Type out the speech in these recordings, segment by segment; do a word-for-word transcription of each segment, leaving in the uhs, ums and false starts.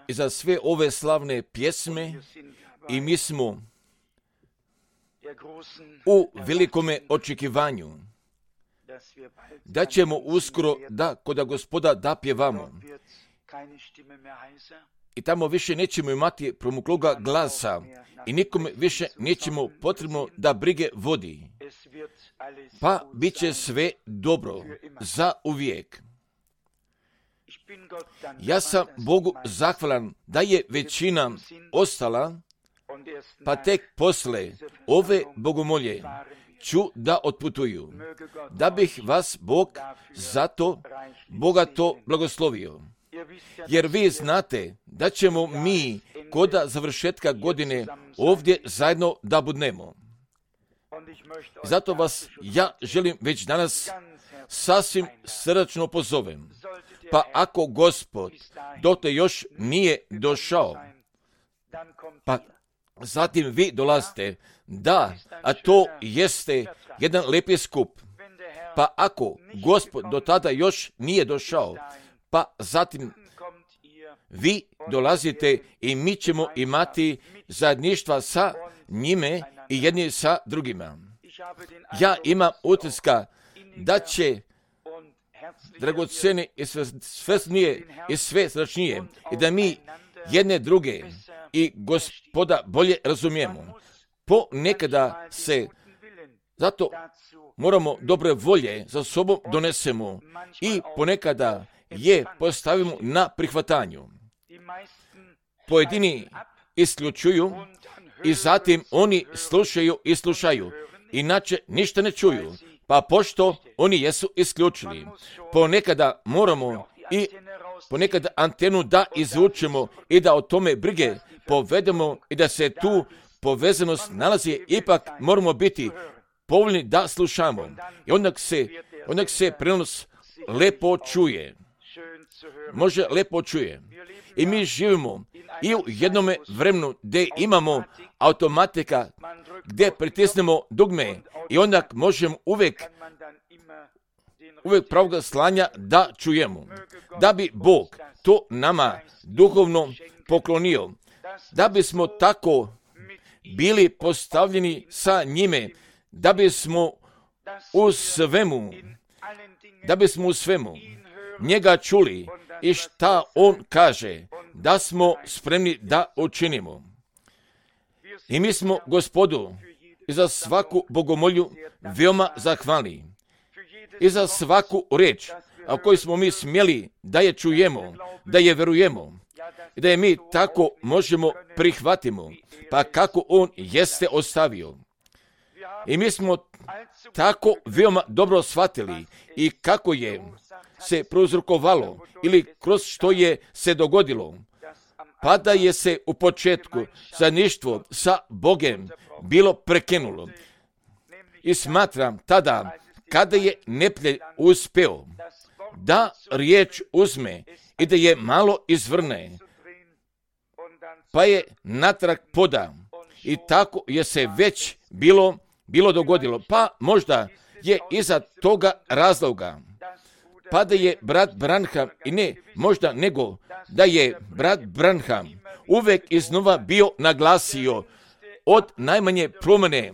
i za sve ove slavne pjesme i mi smo u velikome očekivanju da ćemo uskoro da koda Gospoda da pjevamo. I tamo više nećemo imati promukloga glasa i nikome više nećemo potrebno da brige vodi. Pa bit će sve dobro za uvijek. Ja sam Bogu zahvalan da je većina ostala, pa tek posle ove bogomolje ću da otputuju, da bih vas Bog zato bogato blagoslovio. Jer vi znate da ćemo mi koda završetka godine ovdje zajedno da budnemo. Zato vas ja želim već danas sasvim srdačno pozovem. Pa ako Gospod dotle još nije došao, pa zatim vi dolazite, da, a to jeste jedan lepi skup. Pa ako Gospod do tada još nije došao, pa zatim vi dolazite i mi ćemo imati zajedništva sa njime i jedni sa drugima. Ja imam utiska da će dragocene i svesnije i sve srdačnije i da mi jedne druge i Gospoda bolje razumijemo. Ponekada se zato moramo dobre volje za sobom donesemo i ponekada je postavimo na prihvatanju. Pojedini isključuju i zatim oni slušaju i slušaju, inače ništa ne čuju, pa pošto oni jesu isključili. Ponekada moramo i ponekada antenu da izvučemo i da o tome brige povedemo i da se tu povezanost nalazi, ipak moramo biti povoljni da slušamo. I onda se, onda se prenos lepo čuje. Može lepo čuje. I mi živimo i u jednome vremenu gdje imamo automatika, gdje pritisnemo dugme i onda možemo uvijek uvijek pravoga slanja da čujemo. Da bi Bog to nama duhovno poklonio, da bismo tako bili postavljeni sa njime, da bismo u svemu, da bismo u svemu njega čuli i šta on kaže, da smo spremni da učinimo. I mi smo Gospodu i za svaku bogomolju veoma zahvalni. I za svaku reč, a koju smo mi smjeli da je čujemo, da je verujemo i da je mi tako možemo prihvatimo, pa kako on jeste ostavio. I mi smo tako veoma dobro shvatili i kako je se prouzrokovalo ili kroz što je se dogodilo, pa da je se u početku zajedništvo sa Bogem bilo prekinulo. I smatram tada, kada je neprijatelj uspeo da riječ uzme i da je malo izvrne, pa je natrag poda i tako je se već bilo, bilo dogodilo. Pa možda je iza toga razloga, pa da je brat Branham, i ne možda nego da je brat Branham uvijek iznova bio naglasio od najmanje promjene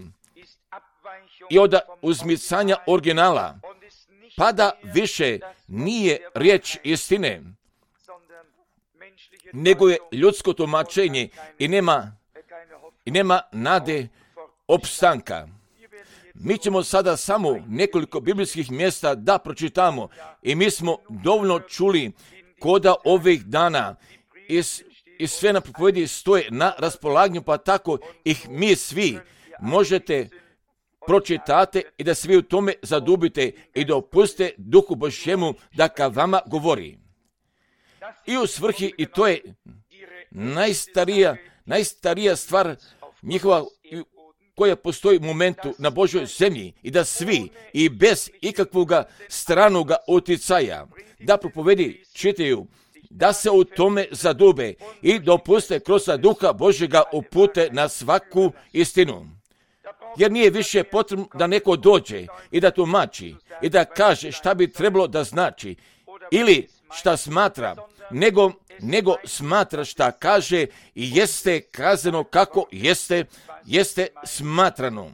i od uzmicanja originala, pa da više nije riječ istine, nego je ljudsko tumačenje i nema, i nema nade opstanka. Mi ćemo sada samo nekoliko biblijskih mjesta da pročitamo i mi smo dovoljno čuli koda ovih dana i, i sve na propovedi stoje na raspolaganju, pa tako ih mi svi možete pročitate i da svi u tome zadubite i da opustite Duhu Božjemu da ka vama govori. I u svrhi, i to je najstarija, najstarija stvar njihova koja postoji u momentu na Božoj zemlji, i da svi i bez ikakvog stranog uticaja da propovedi čitaju, da se u tome zadube i dopuste kroz Duha Božjega upute na svaku istinu. Jer nije više potrebno da neko dođe i da tumači i da kaže šta bi trebalo da znači ili šta smatra, nego nego smatra šta kaže i jeste kazano kako jeste, jeste smatrano.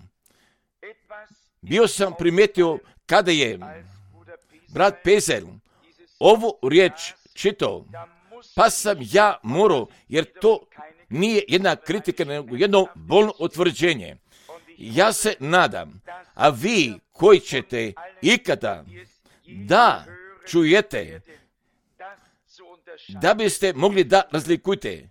Bio sam primetio kada je brat Pezer ovu riječ čitao, pa sam ja morao, jer to nije jedna kritika, nego jedno bolno utvrđenje. Ja se nadam, a vi koji ćete ikada da čujete, da biste mogli da razlikujete.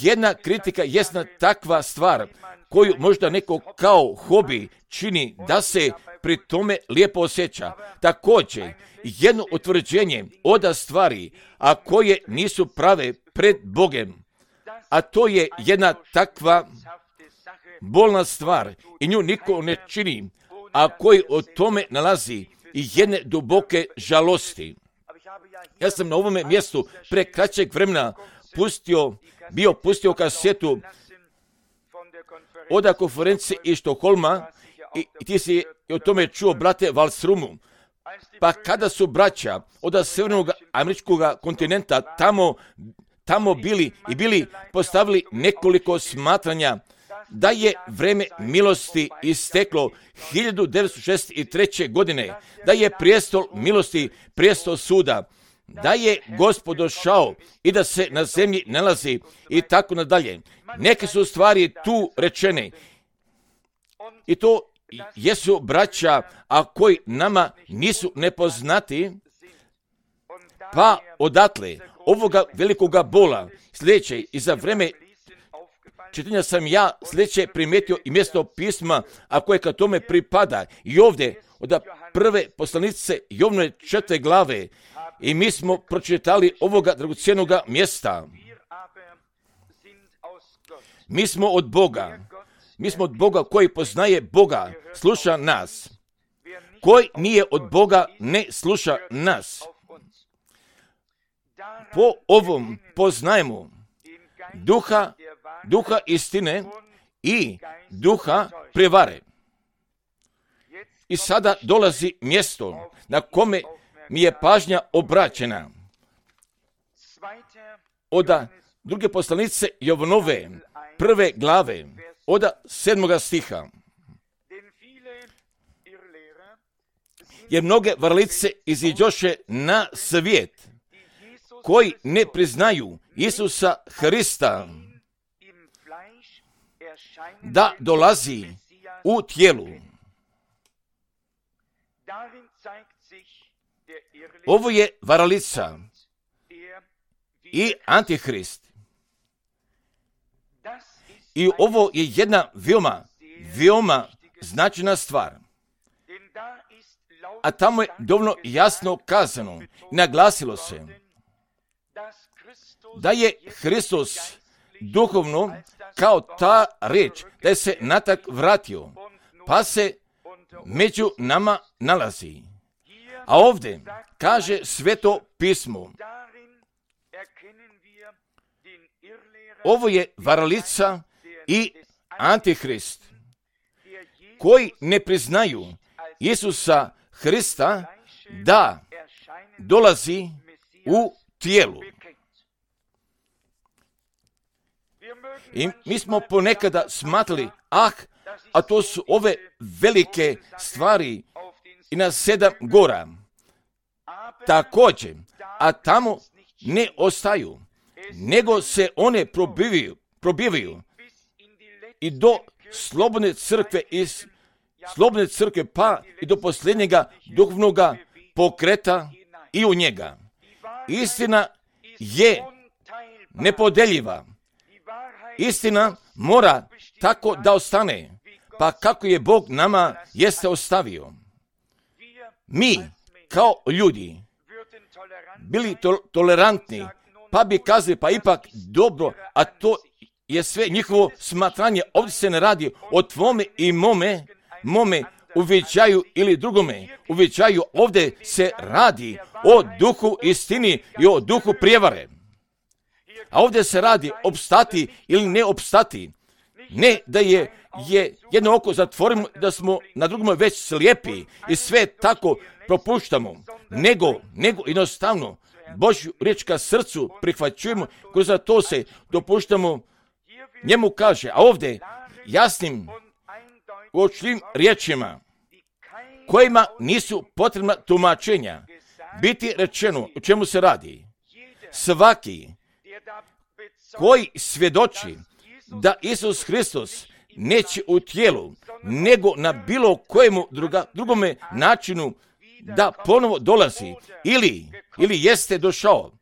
Jedna kritika je jedna takva stvar koju možda neko kao hobi čini da se pri tome lijepo osjeća. Također, jedno utvrđenje od stvari, a koje nisu prave pred Bogem, a to je jedna takva bolna stvar i nju niko ne čini, a koji o tome nalazi i jedne duboke žalosti. Ja sam na ovome mjestu pre kraćeg vremena pustio, bio pustio kasetu od konferencije iz Štokholma i, i ti si o tome čuo, brate Valsrumu. Pa kada su braća od sjevernog američkog kontinenta tamo, tamo bili i bili postavili nekoliko smatranja da je vreme milosti isteklo hiljadu devetsto šezdeset treće. godine, da je prijestol milosti, prijestol suda, da je Gospod došao i da se na zemlji nalazi i tako nadalje. Neke su stvari tu rečene i to jesu braća, a koji nama nisu nepoznati, pa odatle ovoga velikoga bola sljedeće i za vreme čitanja sam ja sljedeće primijetio i mjesto pisma, a koje ka tome pripada. I ovdje od prve poslanice Jovnove četvrte glave i mi smo pročitali ovoga dragocjenog mjesta. Mi smo od Boga. Mi smo od Boga koji poznaje Boga, sluša nas. Koji nije od Boga, ne sluša nas. Po ovom poznajemo duha, duha istine i duha prevare. I sada dolazi mjesto na kome mi je pažnja obraćena. Od druge poslanice Jovanove, prve glave, od sedmoga stiha. Jer mnoge varalice iziđoše na svijet, koji ne priznaju Isusa Hrista, da dolazi u tijelu. Ovo je varalica i Antihrist. I ovo je jedna veoma, veoma značajna stvar. A tamo je dovoljno jasno kazano i naglasilo se da je Hristos duhovno kao ta riječ, da je se natak vratio, pa se među nama nalazi. A ovdje kaže Sveto pismo, ovo je varalica i Antihrist, koji ne priznaju Isusa Hrista da dolazi u tijelu. I mi smo ponekada smatrali, ah, a to su ove velike stvari i na sedam gora. Također, a tamo ne ostaju, nego se one probivaju, probivaju i do slobodne crkve iz slobodne crkve pa i do posljednjega duhovnog pokreta i u njega. Istina je nepodeljiva. Istina mora tako da ostane, pa kako je Bog nama jeste ostavio. Mi, kao ljudi, bili to- tolerantni, pa bi kazali, pa ipak dobro, a to je sve njihovo smatranje. Ovdje se ne radi o tvome i mome, mome uviđaju ili drugome uviđaju. Ovdje se radi o duhu istini i o duhu prijevare. A ovdje se radi opstati ili ne opstati. Ne da je, je jedno oko zatvorimo, da smo na drugom već slijepi i sve tako propuštamo, nego, nego jednostavno Božju riječ ka srcu prihvaćujemo, kroz to se dopuštamo, njemu kaže, a ovdje jasnim, očnim riječima, kojima nisu potrebna tumačenja, biti rečeno o čemu se radi. Svaki koji svjedoči da Isus Hristos neće u tijelu, nego na bilo kojemu druga, drugome načinu da ponovo dolazi ili, ili jeste došao.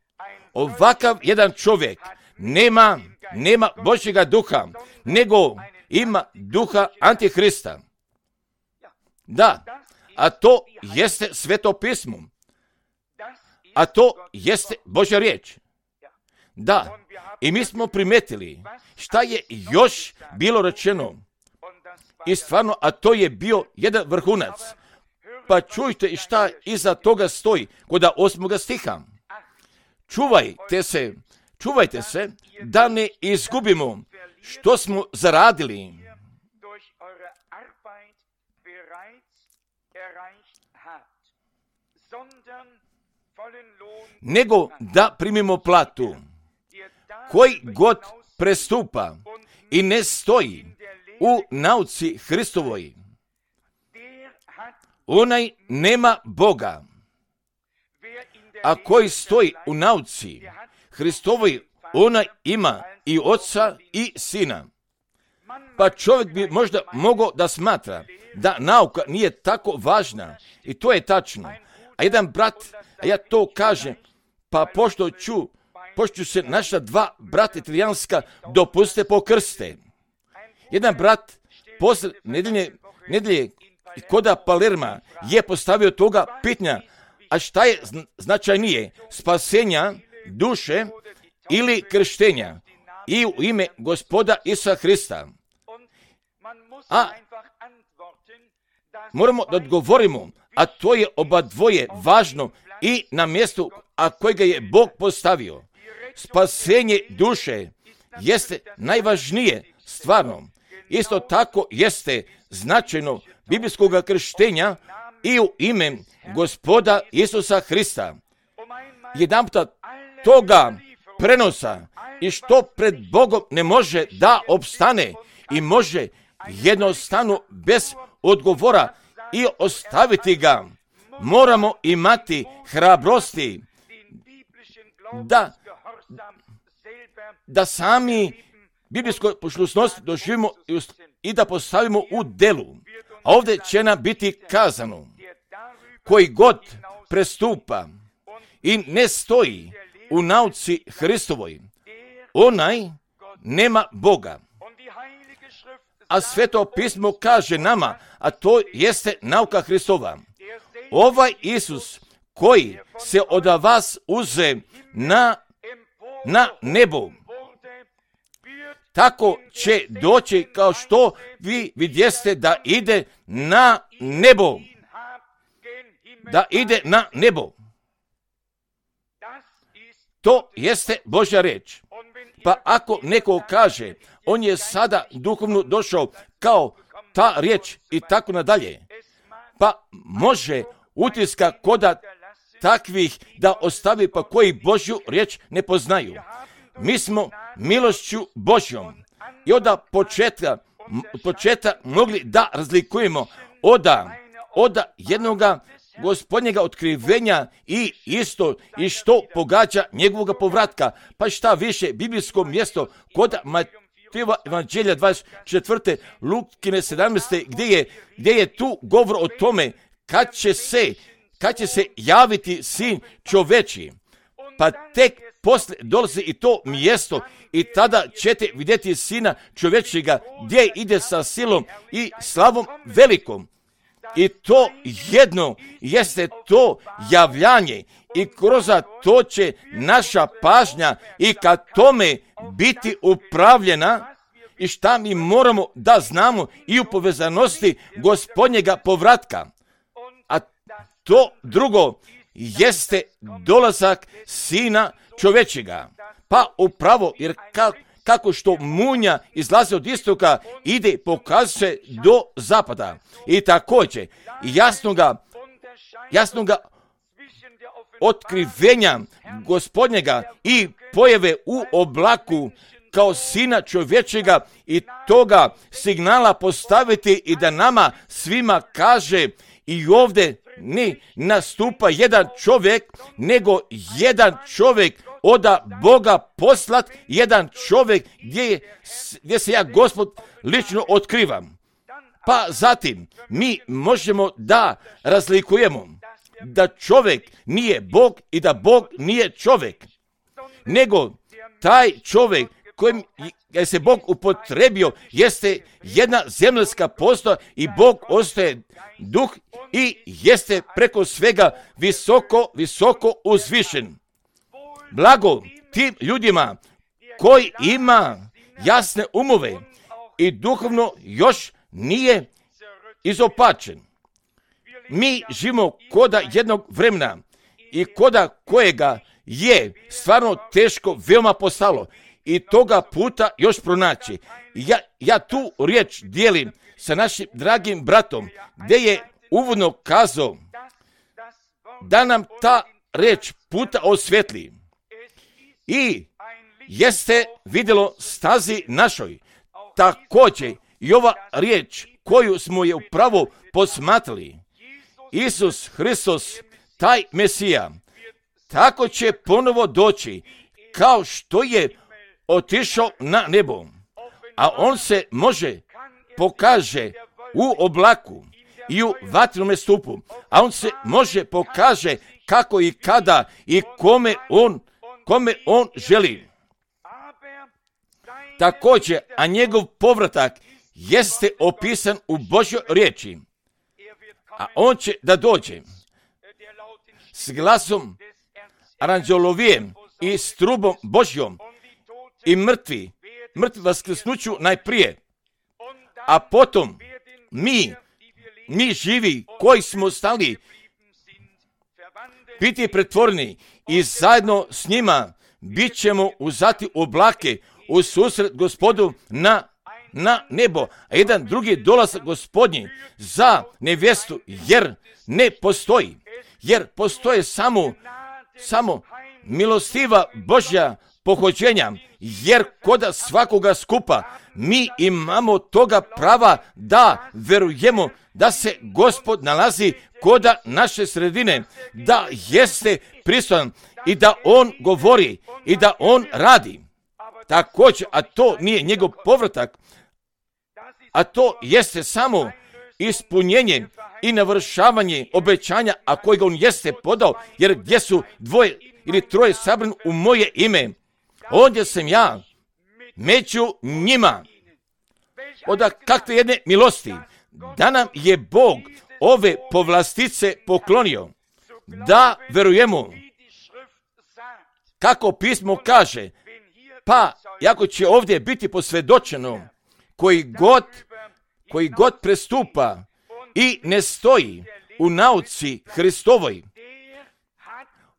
Ovakav jedan čovjek nema, nema Božjega duha, nego ima duha Antihrista. Da, a to jeste Sveto pismo. A to jeste Božja riječ. Da, i mi smo primetili šta je još bilo rečeno. I stvarno, a to je bio jedan vrhunac. Pa čujte i šta iza toga stoji kod osmoga stiha. Čuvajte se, čuvajte se da ne izgubimo što smo zaradili. Nego da primimo platu. Koji god prestupa i ne stoji u nauci Hristovoj, onaj nema Boga. A koji stoji u nauci Hristovoj, onaj ima i oca i sina. Pa čovjek bi možda mogao da smatra da nauka nije tako važna, i to je tačno. A jedan brat, a ja to kažem, pa pošto ću, pošto ću se naša dva brata italijanska dopuste pokrste. Jedan brat posle nedelje, nedelje koda Palerma je postavio toga pitanja, a šta je značajnije, spasenja duše ili krštenja i u ime Gospoda Isusa Hrista. A moramo da odgovorimo, a to je oba dvoje važno i na mjestu, a kojega je Bog postavio. Spasenje duše jeste najvažnije stvarno. Isto tako jeste značajno biblijskog krštenja i u ime Gospoda Isusa Hrista. Jedanputa toga prenosa i što pred Bogom ne može da opstane i može jednostavno bez odgovora i ostaviti ga, moramo imati hrabrosti da, da sami biblijskoj poslušnosti doživimo i da postavimo u delu. A ovdje će nam biti kazano, koji god prestupa i ne stoji u nauci Hristovoj, onaj nema Boga. A Sveto pismo kaže nama, a to jeste nauka Hristova. Ovaj Isus koji se od vas uze na, na nebo, tako će doći kao što vi vidjeste da ide na nebo. Da ide na nebo. To jeste Božja riječ. Pa ako neko kaže, on je sada duhovno došao kao ta riječ i tako nadalje, pa može utiska koda takvih da ostavi, pa koji Božju riječ ne poznaju. Mi smo milošću Božjom i od početka, početka mogli da razlikujemo oda, oda jednoga Gospodnjega otkrivenja i isto i što pogađa njegovog povratka. Pa šta više, biblijsko mjesto kod Matejeva Evanđelja dvadeset četvrte Lukine sedamnaeste gdje je, gdje je tu govor o tome kad će se, kad će se javiti sin čoveči. Pa tek posle dolazi i to mjesto i tada ćete vidjeti sina čovečijega gdje ide sa silom i slavom velikom. I to jedno jeste to javljanje i kroz to će naša pažnja i ka tome biti upravljena i šta mi moramo da znamo i u povezanosti Gospodnjega povratka. A to drugo jeste dolazak sina čovečega. Pa upravo, jer kako kako što munja izlazi od istoka, ide pokazuje do zapada. I također, jasno ga, jasno ga otkrivenja Gospodnjega i pojave u oblaku kao sina čovječega i toga signala postaviti i da nama svima kaže i ovdje ne nastupa jedan čovjek, nego jedan čovjek od Boga poslat, jedan čovjek gdje, gdje se ja Gospod lično otkrivam. Pa zatim mi možemo da razlikujemo da čovjek nije Bog i da Bog nije čovjek, nego taj čovjek kojim je se Bog upotrebio jeste jedna zemaljska postoja i Bog ostaje duh i jeste preko svega visoko, visoko uzvišen. Blago tim ljudima koji ima jasne umove i duhovno još nije izopačen. Mi živimo koda jednog vremena i koda kojega je stvarno teško veoma postalo i toga puta još pronaći. Ja, ja tu riječ dijelim sa našim dragim bratom, gdje je uvodno kazao da nam ta riječ puta osvjetli i jeste vidjelo stazi našoj. Također i ova riječ koju smo je upravo posmatrali, Isus Hristos, taj Mesija, tako će ponovo doći kao što je otišao na nebo, a on se može pokaže u oblaku i u vatrenome stupu, a on se može pokaže kako i kada i kome on, kome on želi. Također, a njegov povratak jeste opisan u Božjoj riječi, a on će da dođe s glasom aranđelovijem i s trubom Božjom i mrtvi, mrtvi vaskrsnuću najprije, a potom mi, mi živi koji smo stali biti pretvoreni i zajedno s njima bit ćemo uzati oblake u susret Gospodu na, na nebo, a jedan drugi dolazak Gospodnji za nevjestu, jer ne postoji, jer postoje samo, samo milostiva Božja pohođenja, jer koda svakoga skupa mi imamo toga prava da verujemo da se Gospod nalazi koda naše sredine, da jeste prisutan i da on govori i da on radi. Također, a to nije njegov povratak, a to jeste samo ispunjenje i navršavanje obećanja, a kojega on jeste podao, jer gdje su dvoje ili troje sabrani u moje ime, ondje sam ja među njima. Od kakve jedne milosti da nam je Bog ove povlastice poklonio, da verujemo kako pismo kaže, pa jako će ovdje biti posvjedočeno, koji god, koji god prestupa i ne stoji u nauci Hristovoj,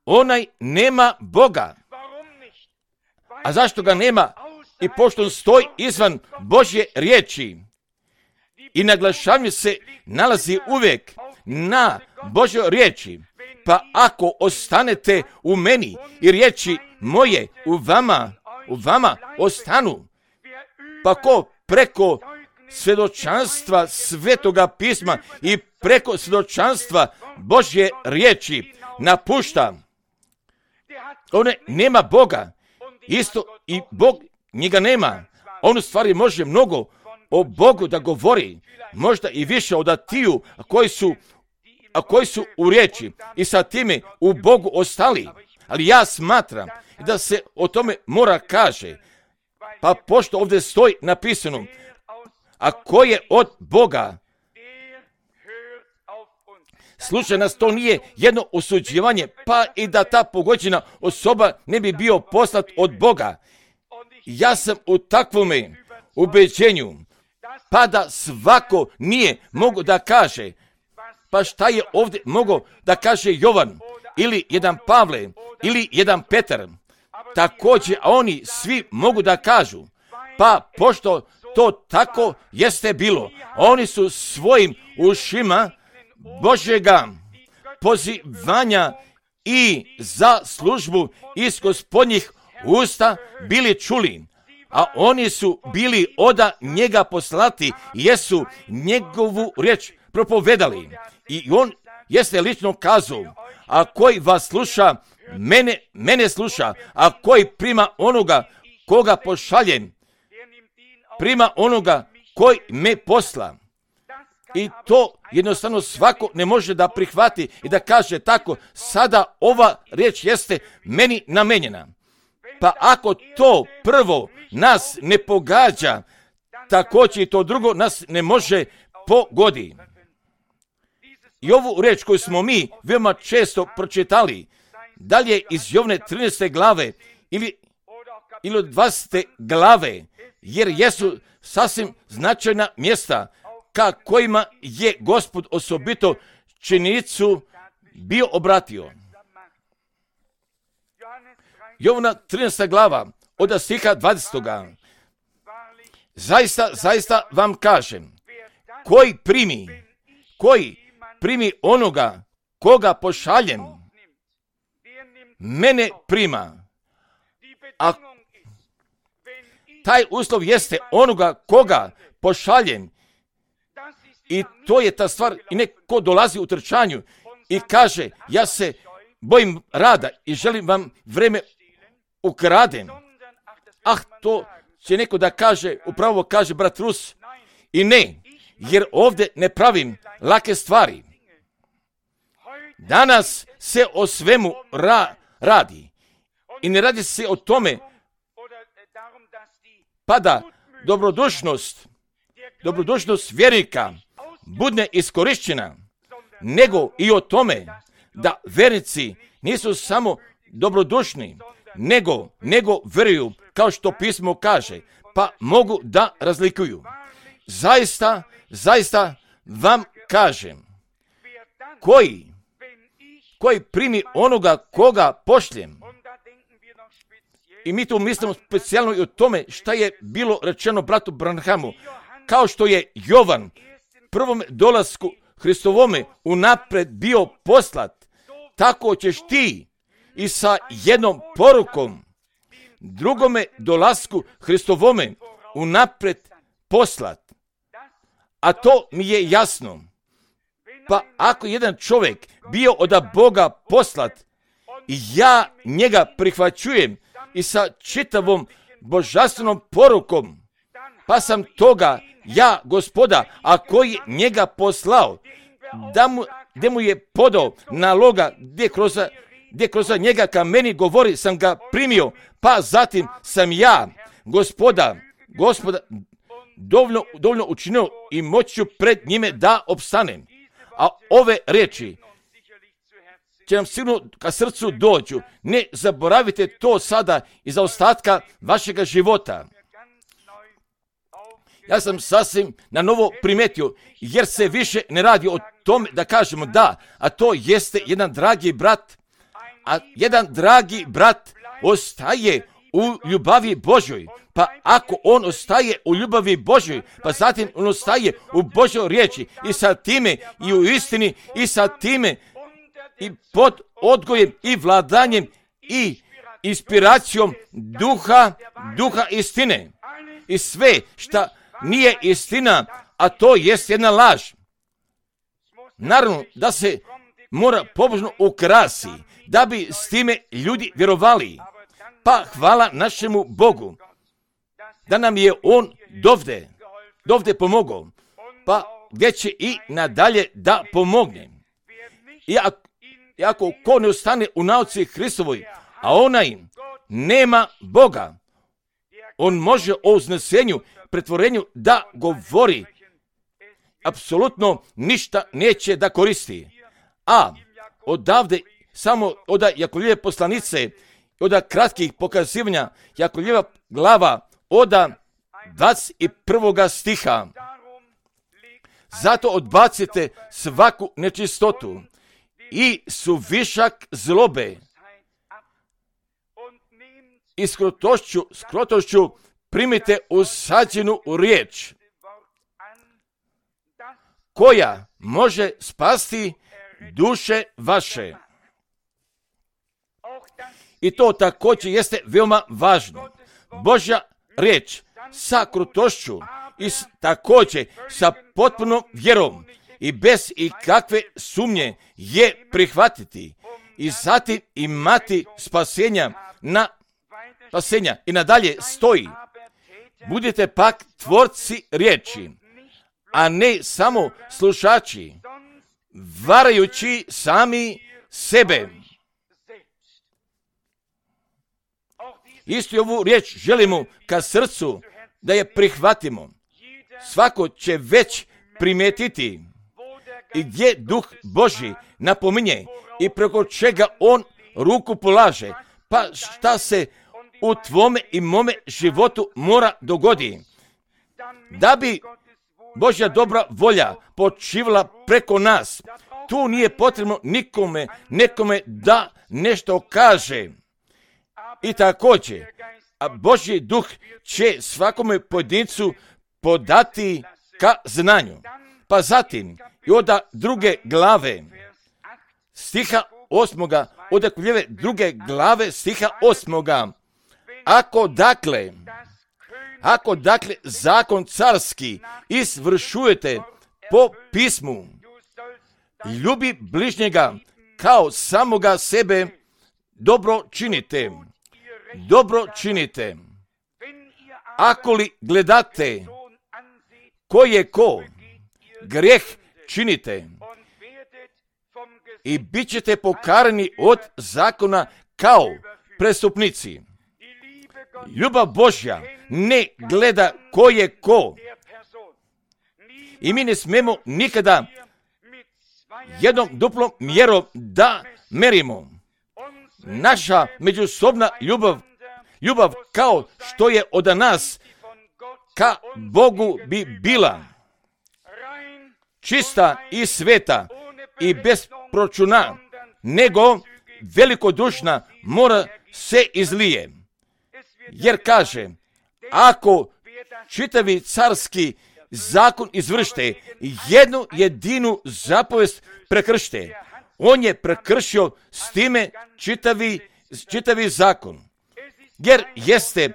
onaj nema Boga. A zašto ga nema? I pošto on stoji izvan Božje riječi i naglašavanje se nalazi uvijek na Božjoj riječi, pa ako ostanete u meni i riječi moje u vama, u vama ostanu, pa ko preko svjedočanstva Svetoga pisma i preko svjedočanstva Božje riječi napušta, one nema Boga, isto i Bog njega nema. On u stvari može mnogo o Bogu da govori, možda i više od atiju koji su, a koji su u riječi i sa time u Bogu ostali. Ali ja smatram da se o tome mora kaže, pa pošto ovdje stoji napisano, a ko je od Boga, slušaj nas, to nije jedno osuđivanje, pa i da ta pogođena osoba ne bi bio poslat od Boga. Ja sam u takvome ubeđenju, pa da svako nije mogo da kaže, pa šta je ovdje mogo da kaže Jovan, ili jedan Pavle, ili jedan Petar, također, a oni svi mogu da kažu, pa pošto to tako jeste bilo, oni su svojim ušima Božjega pozivanja i za službu iz gospodnjih usta bili čuli, a oni su bili oda njega poslati, jesu njegovu riječ propovedali. I on jeste lično kazao, a koji vas sluša, mene, mene sluša, a koji prima onoga koga pošaljem, prima onoga koji me posla. I to jednostavno svako ne može da prihvati i da kaže tako, sada ova riječ jeste meni namenjena. Pa ako to prvo nas ne pogađa, također i to drugo nas ne može pogoditi. I ovu riječ koju smo mi veoma često pročitali, dalje iz Jovne trinaeste glave ili, ili od dvadesete glave, jer jesu sasvim značajna mjesta ka kojima je Gospod osobito činjenicu bio obratio. Jovna trinaesta glava, od stiha dvadesetoga. Zaista, zaista vam kažem, koji primi, koji primi onoga koga pošaljem, mene prima. A taj uslov jeste onoga koga pošaljem. I to je ta stvar, i neko dolazi u trčanju i kaže, ja se bojim rada i želim vam vreme ukradem. Ah, to će neko da kaže, upravo kaže brat Rus, i ne, jer ovdje ne pravim lake stvari. Danas se o svemu ra- radi i ne radi se o tome pa da dobrodušnost, dobrodušnost vjernika bude iskorišćena, nego i o tome da vjernici nisu samo dobrodušni, nego, nego vjeruju, kao što pismo kaže, pa mogu da razlikuju. Zaista, zaista vam kažem, koji, koji primi onoga koga pošljem, i mi tu mislimo specijalno i o tome šta je bilo rečeno bratu Branhamu, kao što je Jovan prvom dolasku Hristovome unapred bio poslat, tako ćeš ti i sa jednom porukom drugome dolasku Hristovome unapred poslat. A to mi je jasno. Pa ako jedan čovjek bio od Boga poslat i ja njega prihvaćujem i sa čitavom božanstvenom porukom, pa sam toga ja, Gospoda, a koji njega poslao, da mu, gdje mu je podao naloga, gdje kroz, gdje kroz njega ka meni govori, sam ga primio, pa zatim sam ja, Gospoda, Gospoda, dovoljno, dovoljno učinio i moću pred njime da opstanem. A ove riječi će nam sigurno ka srcu dođu. Ne zaboravite to sada iz ostatka vašega života. Ja sam sasvim na novo primetio, jer se više ne radi o tome da kažemo da, a to jeste jedan dragi brat, a jedan dragi brat ostaje u ljubavi Božjoj. Pa ako on ostaje u ljubavi Božjoj, pa zatim on ostaje u Božjoj riječi i sa time i u istini i sa time i pod odgojem i vladanjem i inspiracijom duha, duha istine. I sve šta nije istina, a to jest jedna laž. Naravno da se mora pobožno ukrasi, da bi s time ljudi vjerovali. Pa hvala našemu Bogu, da nam je On dovde, dovde pomogao, pa gdje će i nadalje da pomogne. I ako, i ako ko ne ostane u nauci Hristovoj, a onaj nema Boga, on može o uznesenju, pretvorenju da govori, apsolutno ništa neće da koristi. A odavde, samo od Jakovljeve poslanice, od kratkih pokazivanja, Jakovljeva glava od dvadeset prvog stiha. Zato odbacite svaku nečistotu i suvišak zlobe i skrotošću, skrotošću primite usađenu riječ, koja može spasti duše vaše. I to također jeste veoma važno. Božja riječ sa krutošću i s, također sa potpunom vjerom i bez ikakve sumnje je prihvatiti i zatim imati spasenja na spasenja i nadalje stoji. Budite pak tvorci riječi, a ne samo slušači, varajući sami sebe. Istu ovu riječ želimo ka srcu da je prihvatimo. Svako će već primijetiti i gdje Duh Božji napominje i preko čega on ruku polaže, pa šta se u tvome i mome životu mora dogodi. Da bi Božja dobra volja počivala preko nas, tu nije potrebno nikome, nekome da nešto kaže. I također, a Božji duh će svakome pojedincu podati ka znanju. Pa zatim, i od druge glave, stiha osmoga, od druge glave, stiha osmoga, ako dakle, ako dakle zakon carski izvršujete po pismu, ljubi bližnjega kao samoga sebe, dobro činite, dobro činite. Ako li gledate ko je ko, grijeh činite i bit ćete pokarani od zakona kao prestupnici. Ljubav Božja ne gleda ko je ko. I mi ne smemo nikada jednom duplom mjerom da merimo. Naša međusobna ljubav, ljubav kao što je od nas ka Bogu bi bila čista i sveta i bez pročuna, nego velikodušna mora se izlije. Jer kaže, ako čitavi carski zakon izvršite, jednu jedinu zapovest prekršite, on je prekršio s time čitavi, čitavi zakon. Jer jeste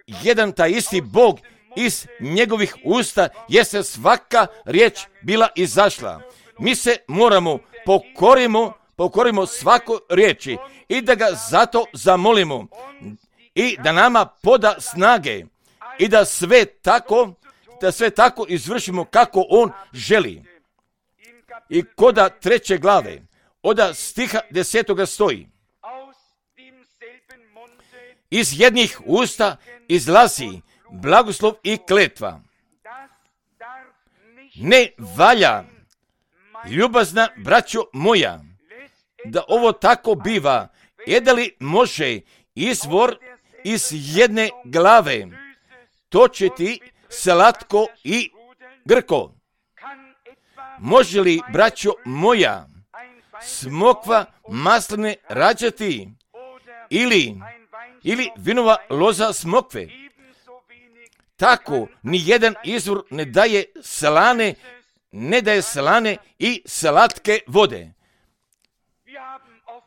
jedan taj isti Bog, iz njegovih usta jeste svaka riječ bila izašla. Mi se moramo pokorimo, pokorimo svako riječi i da ga zato zamolimo i da nama poda snage i da sve tako, da sve tako izvršimo kako on želi. I koda treće glave, oda stiha desetoga stoji. Iz jednih usta izlazi blagoslov i kletva. Ne valja, ljubazna braćo moja, da ovo tako biva, je da li može izvor iz jedne glave točiti slatko i grko? Može li, braćo moja, smokva masline rađati ili, ili vinova loza smokve? Tako ni jedan izvor ne daje slane, ne daje slane i slatke vode.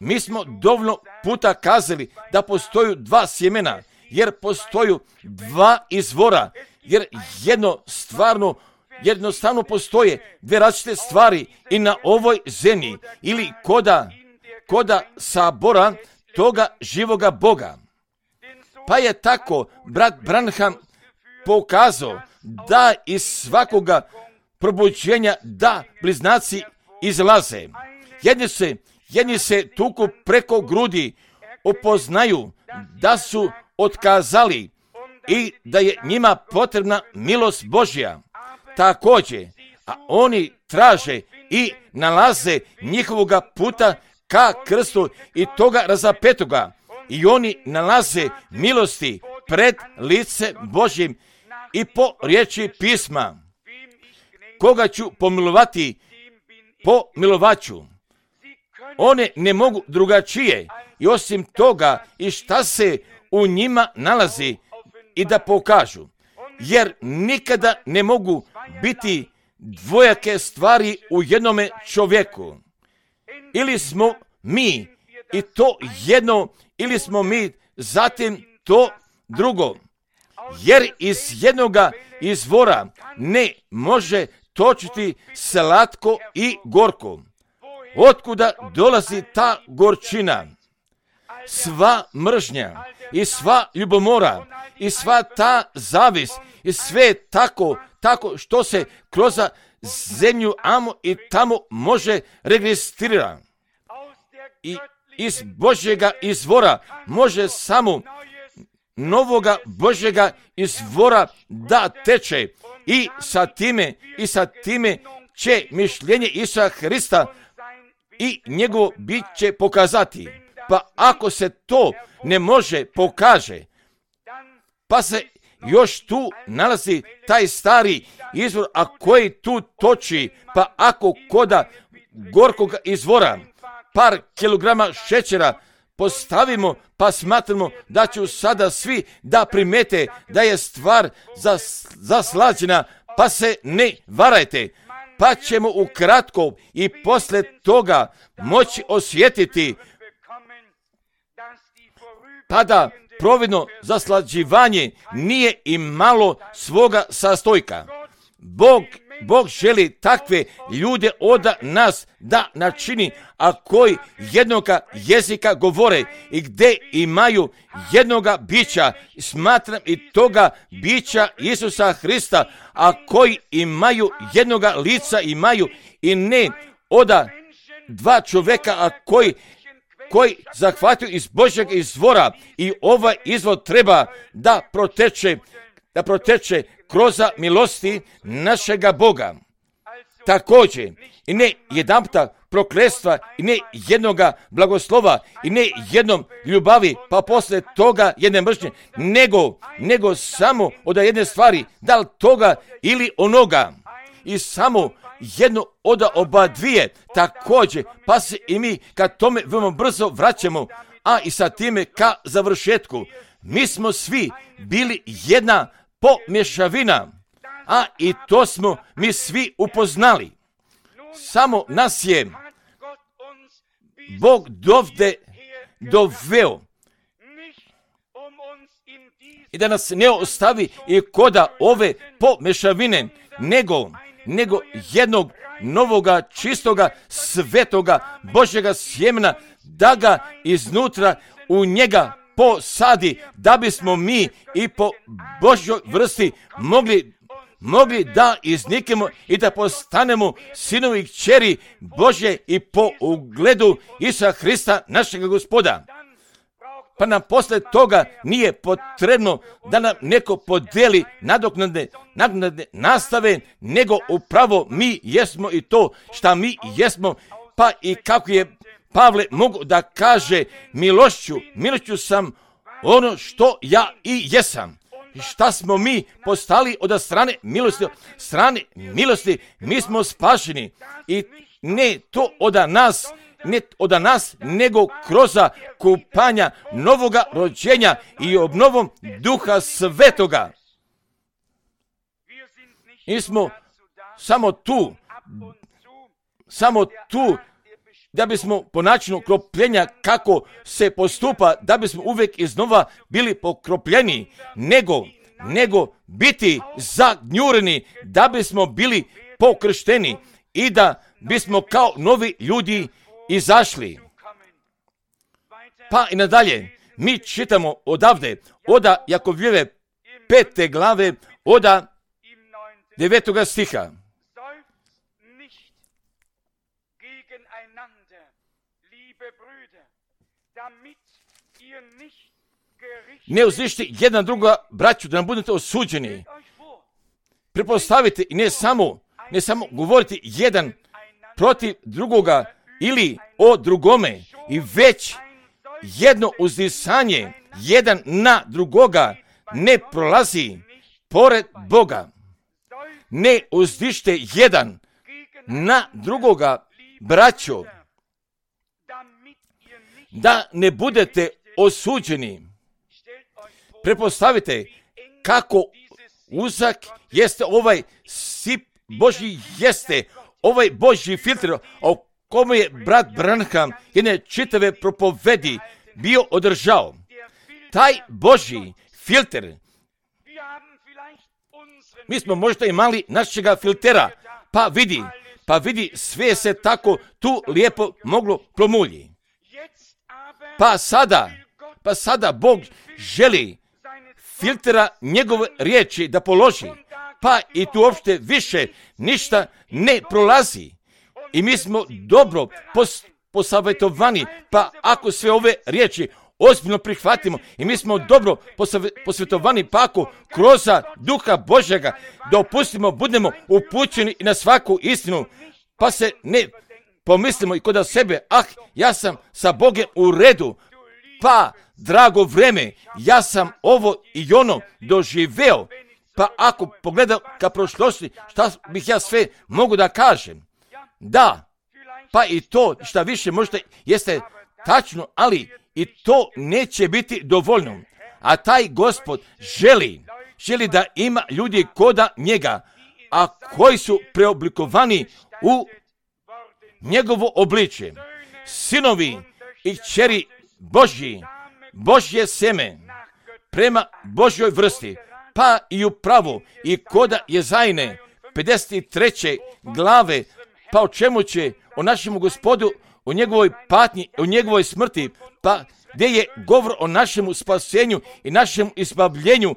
Mi smo dovoljno puta kazali da postoju dva sjemena, jer postoju dva izvora, jer jedno stvarno, jednostavno postoje dve različite stvari i na ovoj zemlji ili koda, koda sabora toga živoga Boga. Pa je tako brat Branham pokazao da iz svakoga probuđenja da bliznaci izlaze. Jedni se, jedni se tuku preko grudi, upoznaju da su otkazali i da je njima potrebna milost Božja. Također, a oni traže i nalaze njihovoga puta ka krstu i toga razapetoga. I oni nalaze milosti pred lice Božjim i po riječi pisma. Koga ću pomilovati, pomilovaću. One ne mogu drugačije i osim toga i šta se u njima nalazi i da pokažu. Jer nikada ne mogu biti dvojake stvari u jednome čovjeku. Ili smo mi i to jedno, ili smo mi zatim to drugo. Jer iz jednoga izvora ne može točiti slatko i gorko. Otkuda dolazi ta gorčina? Sva mržnja i sva ljubomora i sva ta zavis i sve tako, tako što se kroz zemlju amo i tamo može registrirati. I iz Božjega izvora može samo novoga Božjega izvora da teče i sa time i sa time će mišljenje Isusa Hrista i njegovo bit će pokazati. Pa ako se to ne može pokaže, pa se još tu nalazi taj stari izvor, a koji tu toči, pa ako koda gorkog izvora par kilograma šećera postavimo, pa smatramo da će sada svi da primete da je stvar zas, zaslađena, pa se ne varajte, pa ćemo ukratko i posle toga moći osjetiti pa da providno zaslađivanje nije imalo svoga sastojka. Bog, Bog želi takve ljude od nas da načini, a koji jednoga jezika govore i gdje imaju jednoga bića, smatram i toga bića Isusa Hrista, a koji imaju jednoga lica imaju i ne oda dva čovjeka, a koji koji zahvatio iz Božjeg izvora i ovaj izvor treba da proteče, da proteče kroz milosti našega Boga. Također, i ne jedanputa prokletstva, i ne jednoga blagoslova, i ne jednom ljubavi, pa posle toga jedne mržnje, nego, nego samo od jedne stvari, da li toga ili onoga. I samo jedno od oba dvije također, pa se i mi kad tome veoma brzo vraćamo, a i sa time ka završetku. Mi smo svi bili jedna pomješavina, a i to smo mi svi upoznali. Samo nas je Bog dovde doveo i da nas ne ostavi i koda ove pomješavine, nego nego jednog novoga, čistoga, svetoga, Božjega sjemena, da ga iznutra u njega posadi, da bismo mi i po Božjoj vrsti mogli, mogli da iznikemo i da postanemo sinovi i kćeri Božje i po ugledu Isusa Hrista, našega Gospoda. Pa nam posle toga nije potrebno da nam neko podeli nadoknadne, nadoknadne nastave, nego upravo mi jesmo i to šta mi jesmo, pa i kako je Pavle mogu da kaže, milošću, milošću sam ono što ja i jesam. Šta smo mi postali od strane milosti, strane milosti, mi smo spašeni i ne to od nas, ne od nas, nego kroz kupanja novoga rođenja i obnovom Duha Svetoga. Mi smo samo tu, samo tu, da bismo po načinu kropljenja kako se postupa, da bismo uvijek iznova bili pokropljeni, nego, nego biti zagnjureni, da bismo bili pokršteni i da bismo kao novi ljudi izašli. Pa i nadalje, mi čitamo odavde, oda Jakovljeve pete glave, oda devetoga stiha. Ne uzvište jedan druga, braću, da nam budete osuđeni. Prepostavite i ne samo, ne samo govoriti jedan protiv drugoga ili o drugome, i već jedno uzdisanje jedan na drugoga ne prolazi pored Boga. Ne uzdište jedan na drugoga, braćo, da ne budete osuđeni. Prepostavite kako uzak jeste ovaj sip Božji, jeste ovaj Božji filtr, o kome je brat Branham jedne čitave propovedi bio održao. Taj Božji filter, mi smo možda imali našega filtera, pa vidi, pa vidi, sve se tako tu lijepo moglo promulji. Pa sada, pa sada Bog želi filtera njegove riječi da položi, pa i tu uopšte više ništa ne prolazi. I mi smo dobro pos, posavjetovani, pa ako sve ove riječi ozbiljno prihvatimo i mi smo dobro posvjetovani, pa ako kroz Duha Božjega dopustimo, budemo upućeni na svaku istinu, pa se ne pomislimo i kod sebe, ah, ja sam sa Bogom u redu, pa drago vreme, ja sam ovo i ono doživeo, pa ako pogledam ka prošlosti, šta bih ja sve mogu da kažem? Da, pa i to šta više možda jeste tačno, ali i to neće biti dovoljno. A taj Gospod želi, želi da ima ljudi koda njega, a koji su preoblikovani u njegovo obličje. Sinovi i kćeri Božji, Božje seme, prema Božjoj vrsti, pa i upravo i koda Jezajne, pedeset treće glave, pa o čemu će o našemu Gospodu, o njegovoj patnji, o njegovoj smrti, pa gdje je govor o našemu spasenju i našem izbavljenju,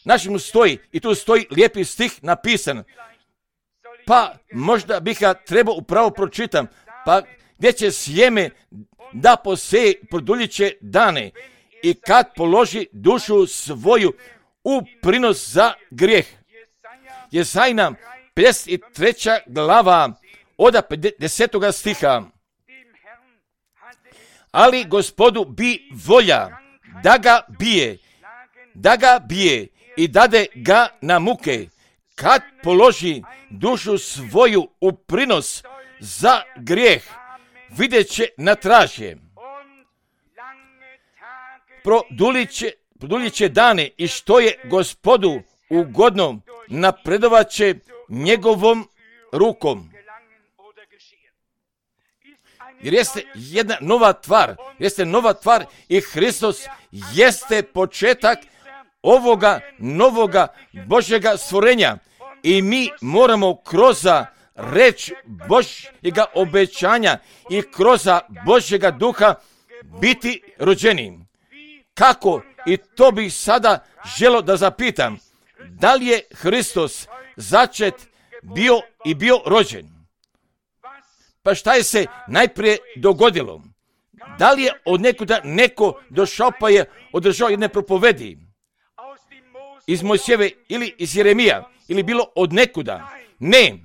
našemu stoji, i tu stoji lijepi stih napisan, pa možda bih ga trebao upravo pročitam, pa gdje će sjeme da poseje produljiće dane i kad položi dušu svoju u prinos za grijeh. Jezajna, pedeset treća glava, od desetoga stiha. Ali Gospodu bi volja da ga bije, da ga bije i dade ga na muke, kad položi dušu svoju u prinos za grijeh, vidjet će na tražje. Produljit će dane i što je Gospodu ugodno, napredovat će njegovom rukom. Jer jeste jedna nova tvar, jeste nova tvar i Hristos jeste početak ovoga novoga Božjega stvorenja. I mi moramo kroz reč Božjega obećanja i kroz Božjega duha biti rođeni. Kako? I to bih sada želio da zapitam. Da li je Hristos začet bio i bio rođen? Pa šta je se najprije dogodilo? Da li je od nekuda neko došao pa je održao jedne propovedi iz Mojsijeve ili iz Jeremija ili bilo od nekuda? Ne,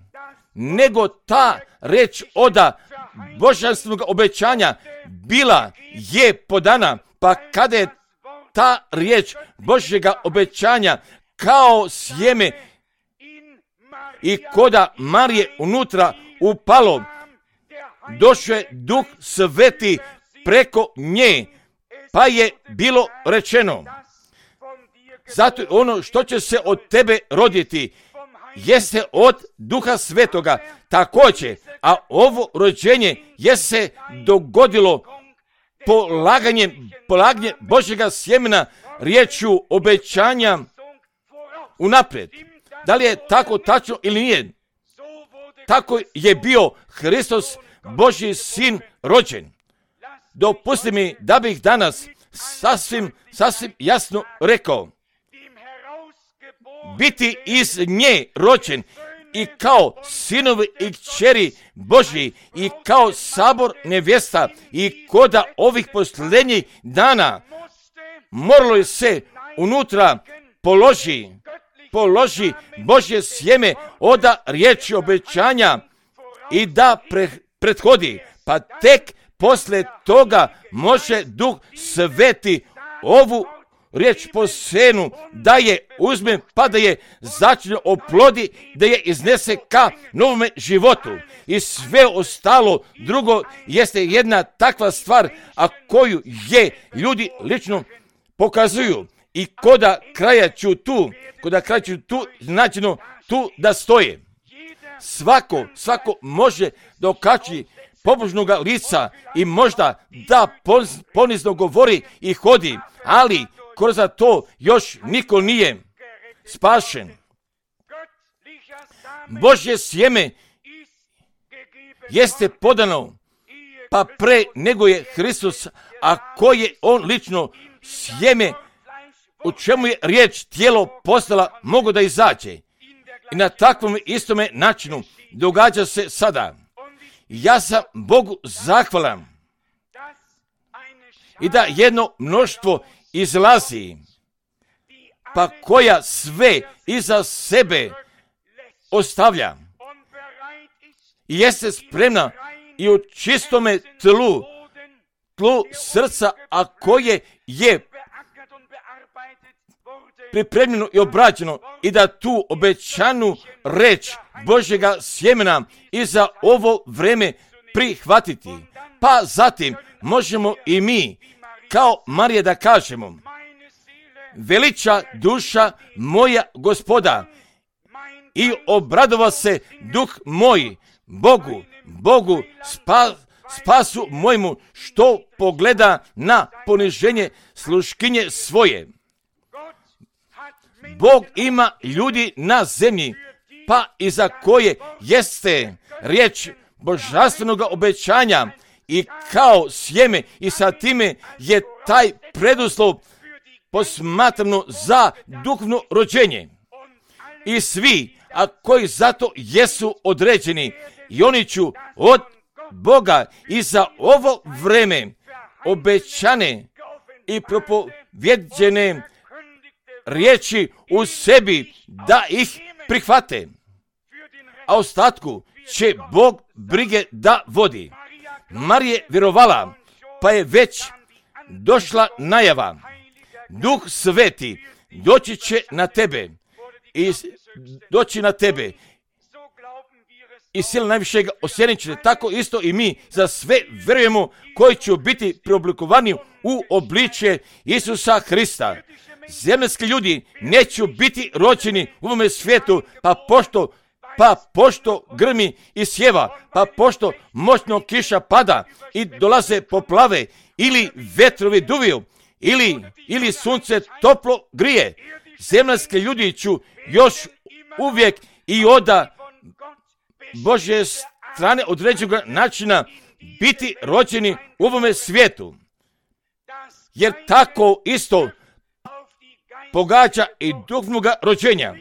nego ta reč oda božanstvenog obećanja bila je podana, pa kada je ta riječ Božjega obećanja kao sjeme i koda Marije unutra upalo, došao je Duh Sveti preko nje, pa je bilo rečeno, zato ono što će se od tebe roditi jeste od Duha Svetoga također, a ovo rođenje je se dogodilo polaganjem, polaganjem Božjega sjemena riječju obećanja unaprijed. Da li je tako tačno ili nije? Tako je bio Hristos, Božji sin, rođen. Dopusti mi da bih danas sasvim, sasvim jasno rekao, biti iz nje rođen i kao sinovi i kćeri Božji i kao sabor nevjesta i koda ovih posljednjih dana moralo je se unutra položi, položi Božje sjeme oda riječi obećanja i da pre, prethodi, pa tek poslije toga može Duh Sveti ovu riječ po senu da je uzme, pa da je začne oplodi, da je iznese ka novome životu. I sve ostalo drugo jeste jedna takva stvar, a koju je ljudi lično pokazuju. I koda kraja ću tu, koda kraja ću tu, značajno tu da stoje. Svako, svako može dokaći pobožnoga lica i možda da ponizno govori i hodi, ali kroz to još niko nije spašen. Božje sjeme jeste podano, pa pre nego je Hristos, a ko je on lično sjeme, u čemu je riječ tijelo postala, mogu da izađe. I na takvom istome načinu događa se sada. Ja sam Bogu zahvalan i da jedno mnoštvo izlazi, pa koja sve iza sebe ostavlja i jeste spremna i u čistome tlu, tlu srca, a koje je pripremljeno i obrađeno, i da tu obećanu reč Božjega sjemena i za ovo vreme prihvatiti. Pa zatim možemo i mi, kao Marija, da kažemo: veliča duša moja Gospoda i obradova se duh moj Bogu, Bogu spa, spasu mojmu, što pogleda na poniženje sluškinje svoje. Bog ima ljudi na zemlji, pa i za koje jeste riječ božanstvenog obećanja i kao sjeme, i sa time je taj preduslov posmatrano za duhovno rođenje. I svi, a koji zato jesu određeni, i oni ću od Boga i za ovo vreme obećane i propovjeđene riječi u sebi da ih prihvate, a ostatku će Bog brige da vodi. Marija vjerovala, pa je već došla najava: Duh Sveti doći će na tebe i doći na tebe i sila najvišega osjenit će. Tako isto i mi za sve vjerujemo, koji će biti preoblikovani u obličje Isusa Hrista. Zemaljski ljudi neće biti rođeni u ovome svijetu, pa pošto, pa pošto grmi i sjeva, pa pošto moćno kiša pada i dolaze poplave, ili vetrovi duviju, ili, ili sunce toplo grije. Zemaljski ljudi ću još uvijek i oda Božje strane određenog načina biti rođeni u ovome svijetu. Jer tako isto pogađa i duhovnoga rođenja.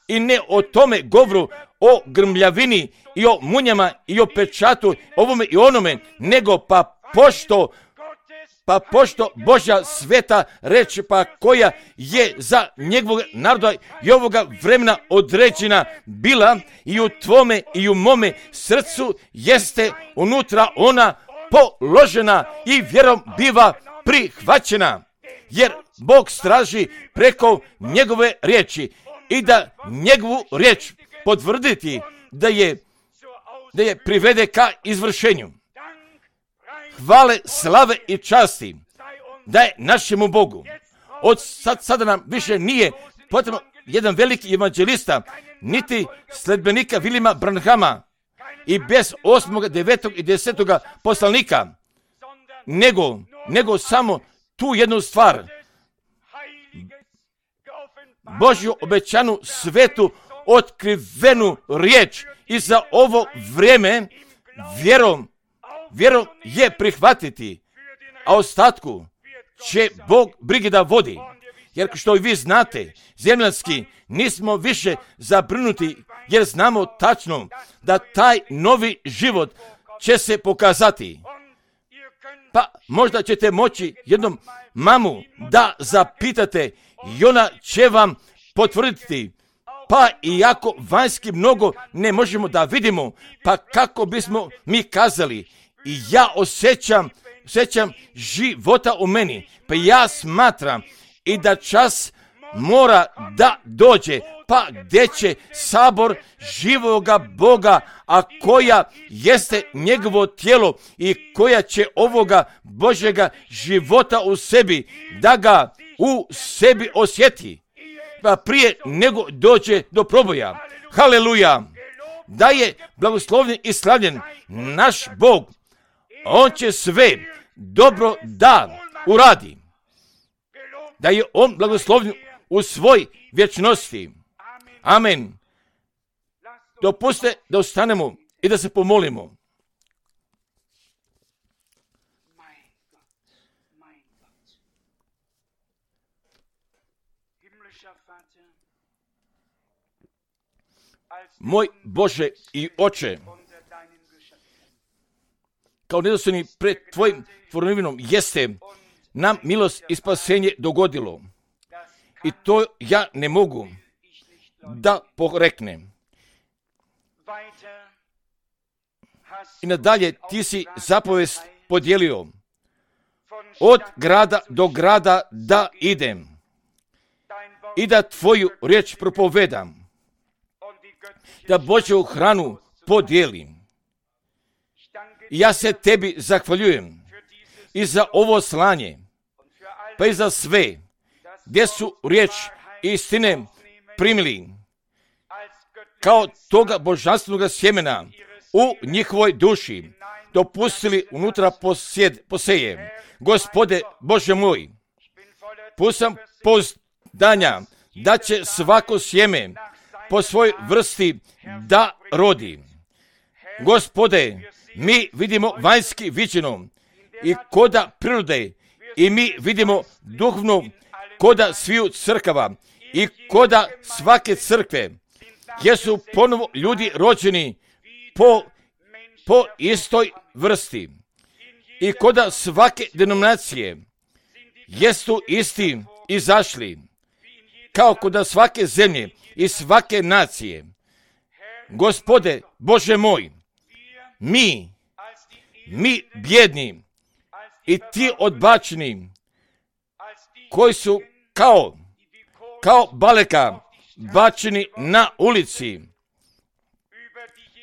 I ne o tome govoru, o grmljavini i o munjama i o pečatu, ovome i onome, nego pa pošto pa pošto Božja sveta reč, pa koja je za njegovog naroda i ovoga vremena određena bila, i u tvome i u mome srcu jeste unutra ona položena i vjerom biva prihvaćena. Jer Bog straži preko njegove riječi i da njegovu riječ potvrditi da je, da je privede ka izvršenju. Hvale, slave i časti da je našemu Bogu. Od sad, sada nam više nije potrebno jedan veliki evanđelista, niti sledbenika Viljama Branhama i bez osmog, devetog i desetog poslanika, nego, nego samo tu jednu stvar: Božju obećanu svetu otkrivenu riječ, i za ovo vrijeme vjerom vjerom je prihvatiti, a ostatku će Bog brige da vodi. Jer što vi znate, zemljanski, nismo više zabrinuti, jer znamo tačno da taj novi život će se pokazati. Pa možda ćete moći jednom mamu da zapitate i ona će vam potvrditi. Pa iako vanjski mnogo ne možemo da vidimo, pa kako bismo mi kazali: i ja osjećam, osjećam života u meni, pa ja smatram i da čas mora da dođe, pa gdje će sabor živoga Boga, a koja jeste njegovo tijelo i koja će ovoga Božjega života u sebi, da ga u sebi osjeti, pa prije nego dođe do proboja. Haleluja! Da je blagoslovljen i slavljen naš Bog, on će sve dobro da uradi. Da je on blagoslovljen u svoj vječnosti. Amen. Dopustite da ostanemo i da se pomolimo. Moj Bože i Oče, kao nedostojni pred Tvojim tvorevinom jeste nam milost i spasenje dogodilo. I to ja ne mogu da poreknem. I nadalje Ti si zapovest podijelio od grada do grada da idem i da Tvoju riječ propovedam, da Božju hranu podijelim. I ja se Tebi zahvaljujem i za ovo slanje, pa i za sve gdje su riječ istine primili kao toga božanstvenog sjemena u njihovoj duši, dopustili unutra posjed, poseje. Gospode Bože moj, pusam pouzdanja da će svako sjeme po svojoj vrsti da rodi. Gospode, mi vidimo vanjski viđeno i koda prirode i mi vidimo duhovno koda sviju crkava i koda svake crkve, gdje su ponovo ljudi rođeni po, po istoj vrsti i koda svake denominacije jesu isti izašli, kao koda svake zemlje i svake nacije. Gospode Bože moj, mi, mi bjedni i ti odbačeni, koji su kao, kao baleka bačeni na ulici,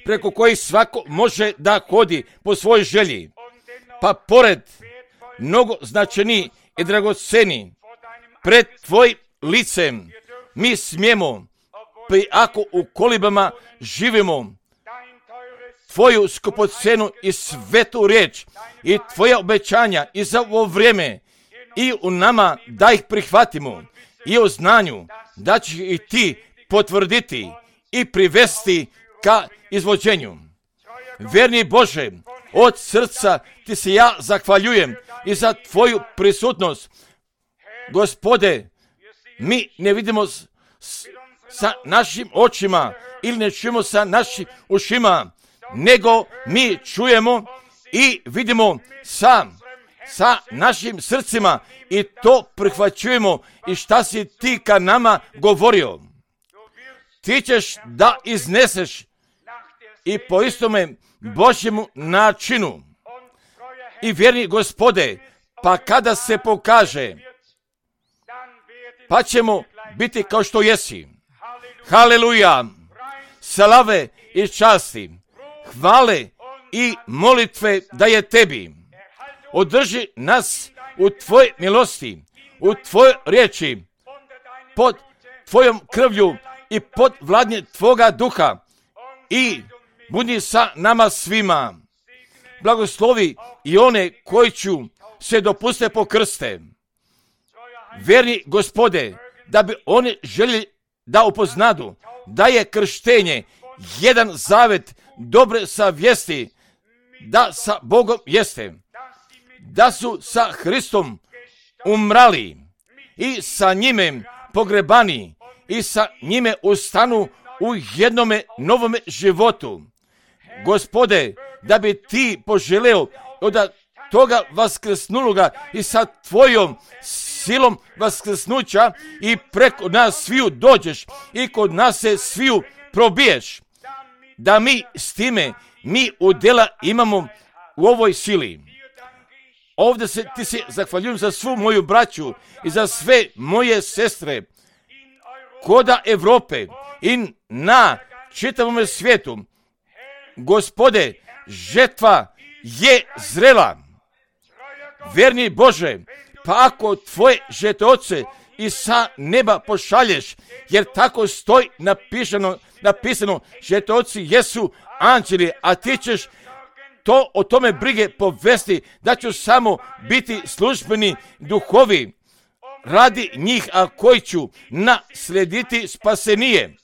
preko kojih svako može da hodi po svojoj želji, pa pored mnogo značajniji i dragoceni pred Tvojim licem mi smijemo, pa i ako u kolibama živimo, Tvoju skupocenu i svetu riječ i Tvoja obećanja i za ovo vrijeme i u nama da ih prihvatimo i u znanju da će i Ti potvrditi i privesti ka izvođenju. Verni Bože, od srca Ti se ja zahvaljujem i za Tvoju prisutnost. Gospode, mi ne vidimo s, s, sa našim očima ili ne čujemo sa našim ušima, nego mi čujemo i vidimo sa, sa našim srcima i to prihvaćujemo i šta si Ti ka nama govorio. Ti ćeš da izneseš i po istome Božjemu načinu. I vjerni Gospode, pa kada se pokaže, pa ćemo biti kao što jesi. Haleluja, slave i časti, hvale i molitve da je Tebi. Održi nas u Tvojoj milosti, u Tvojoj riječi, pod Tvojom krvlju i pod vladnje Tvoga duha i budi sa nama svima. Blagoslovi i one koji ću se dopuste po krste. Verni Gospode, da bi oni željeli da upoznadu da je krštenje jedan zavet dobre savjesti, da sa Bogom jeste, da su sa Hristom umrali i sa njime pogrebani i sa njime ustanu u jednome novome životu. Gospode, da bi Ti poželeo od toga vaskrsnuloga i sa Tvojom silom vaskrsnuća i preko nas sviju dođeš i kod nas se sviju probiješ, da mi s time, mi udjela imamo u ovoj sili. Ovdje se Ti se zahvaljujem za svu moju braću i za sve moje sestre koda Evrope i na čitavom svijetu. Gospode, žetva je zrela. Verni Bože, pa ako Tvoje žetoce i sa neba pošalješ, jer tako stoji napisano, napisano žetoci jesu anđeli, a Ti ćeš to o tome brige povesti, da ću samo biti službeni duhovi radi njih, a koji ću naslediti spasenije.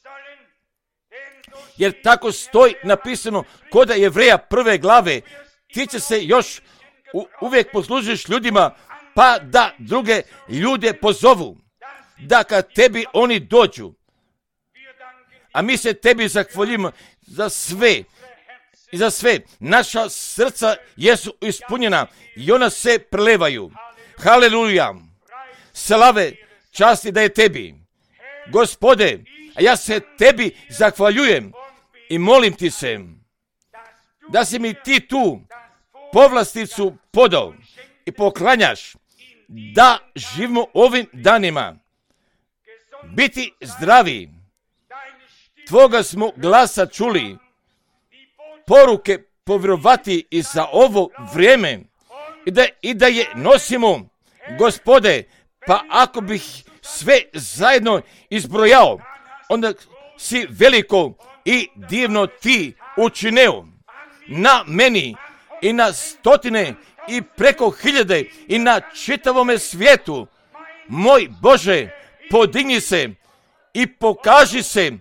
Jer tako stoji napisano kod Jevreja prve glave, ti će se još u, uvijek poslužiš ljudima, pa da druge ljude pozovu, da kad tebi oni dođu. A mi se tebi zahvaljujemo za sve. I za sve. Naša srca jesu ispunjena i ona se prelevaju. Haleluja. Slave, časti da je tebi. Gospode, a ja se tebi zahvaljujem i molim ti se da si mi ti tu povlasticu podao i poklanjaš da živimo ovim danima. Biti zdravi. Tvoga smo glasa čuli. Poruke povjerovati i za ovo vrijeme i da, i da je nosimo, Gospode, pa ako bih sve zajedno izbrojao, onda si veliko i divno ti učineo na meni i na stotine i preko hiljade i na čitavome svijetu. Moj Bože, podigni se i pokaži se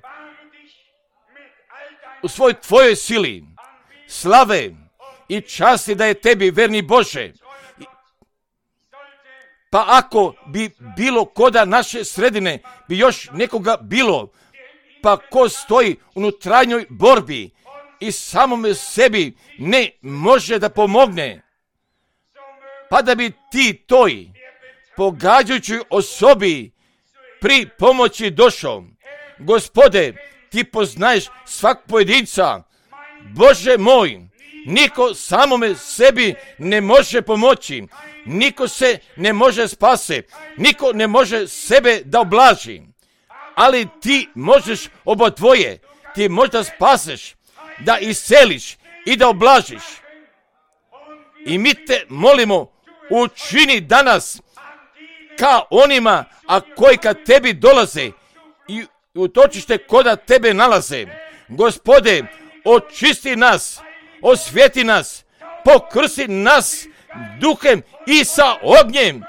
u svoj tvojoj sili. Slave i časti da je tebi, verni Bože. Pa ako bi bilo koda naše sredine, bi još nekoga bilo, pa ko stoji u unutarnjoj borbi i samome sebi ne može da pomogne, pa da bi ti toj pogađajućoj osobi pri pomoći došao. Gospode, ti poznaješ svak pojedinca. Bože moj, niko samome sebi ne može pomoći, niko se ne može spase, niko ne može sebe da oblaži, ali ti možeš oba dvoje, ti možda spaseš, da isceliš i da oblažiš. I mi te molimo, učini danas ka onima, a koji kad tebi dolaze i utočište koda tebe nalaze. Gospode, očisti nas, osvjeti nas, pokrsti nas duhem i sa ognjem,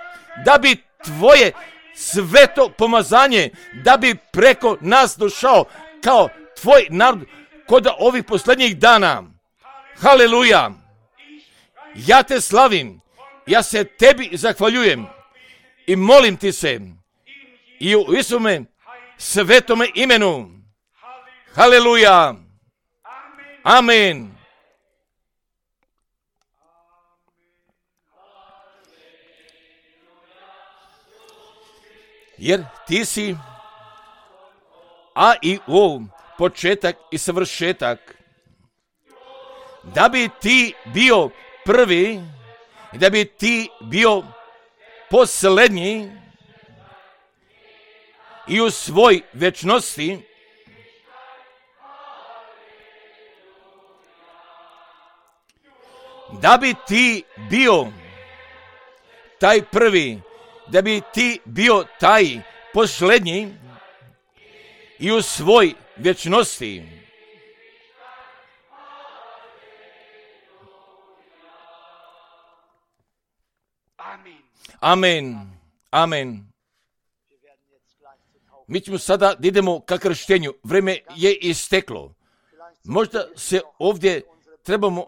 da bi tvoje sveto pomazanje, da bi preko nas došao kao tvoj narod kod ovih posljednjih dana. Haleluja! Ja te slavim, ja se tebi zahvaljujem i molim ti se i u Isume svetome imenu. Haleluja! Amen. Jer ti si A i O, početak i savršetak. Da bi ti bio prvi, da bi ti bio posljednji i u svoj večnosti, da bi ti bio taj prvi, da bi ti bio taj posljednji i u svoj večnosti. Amen. Amen. Mi ćemo sada da idemo ka krštenju. Vreme je isteklo. Možda se ovdje trebamo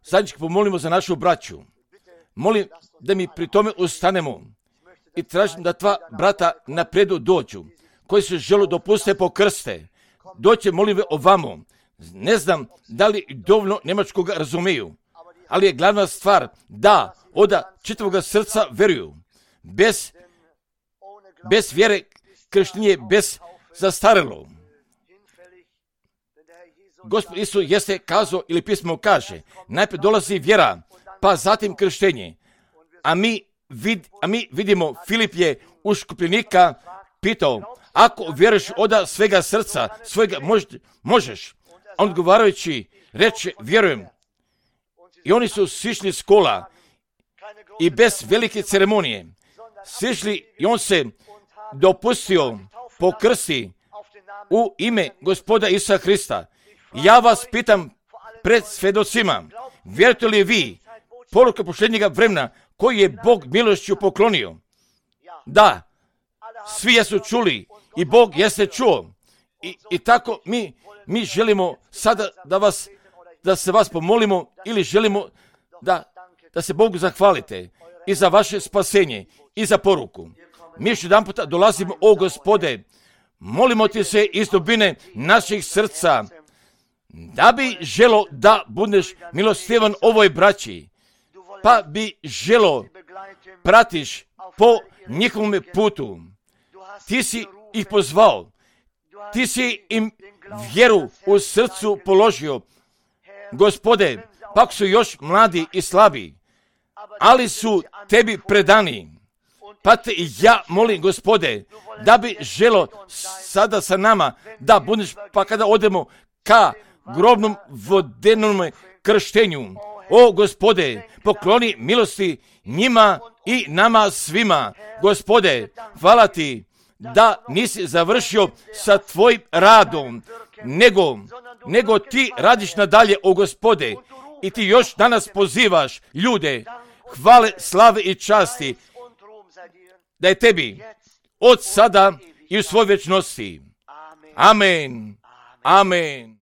zajednički pomolimo za našu braću. Molim da mi pri tome ustanemo i tražim da dva brata napredu dođu, koji se žele dopuste po krste. Doće, molim ovamo. Ne znam da li dovoljno njemačkoga razumiju, ali je glavna stvar da od čitavog srca veruju. Bez, bez vjere krštenje bez zastarelo. Gospod Isus jeste kazao ili pismo kaže, najprije dolazi vjera, pa zatim krštenje. A mi, vid, a mi vidimo, Filip je u škupljenika pitao, ako vjeruješ od svega srca, svega mož, možeš. On odgovarajući reče, vjerujem. I oni su sišli s kola i bez velike ceremonije. Sišli i on se dopustio po krsti u ime Gospoda Isusa Hrista. Ja vas pitam pred svedocima, Vjerujete li vi poruke posljednjega vremena koji je Bog milošću poklonio? Da, svi jesu čuli i Bog jeste čuo. I, i tako mi, mi želimo sada da vas, da se vas pomolimo ili želimo da, da se Bogu zahvalite i za vaše spasenje i za poruku. Mi još jedan puta dolazimo, o Gospode, molimo ti se iz dubine naših srca, da bi želo da budeš milostivan ovoj braći, pa bi želo pratiš po njihovom putu. Ti si ih pozvao, ti si im vjeru u srcu položio. Gospode, pak su još mladi i slabi, ali su tebi predani. Pa te i ja molim, Gospode, da bi želo sada sa nama, da budeš, pa kada odemo ka grobnom vodenom krštenju, o Gospode, pokloni milosti njima i nama svima. Gospode, hvala ti da nisi završio sa tvojim radom, nego, nego ti radiš nadalje, o Gospode, i ti još danas pozivaš ljude, hvale, slave i časti, da je tebi od sada i u svoj vječnosti. Amen. Amen.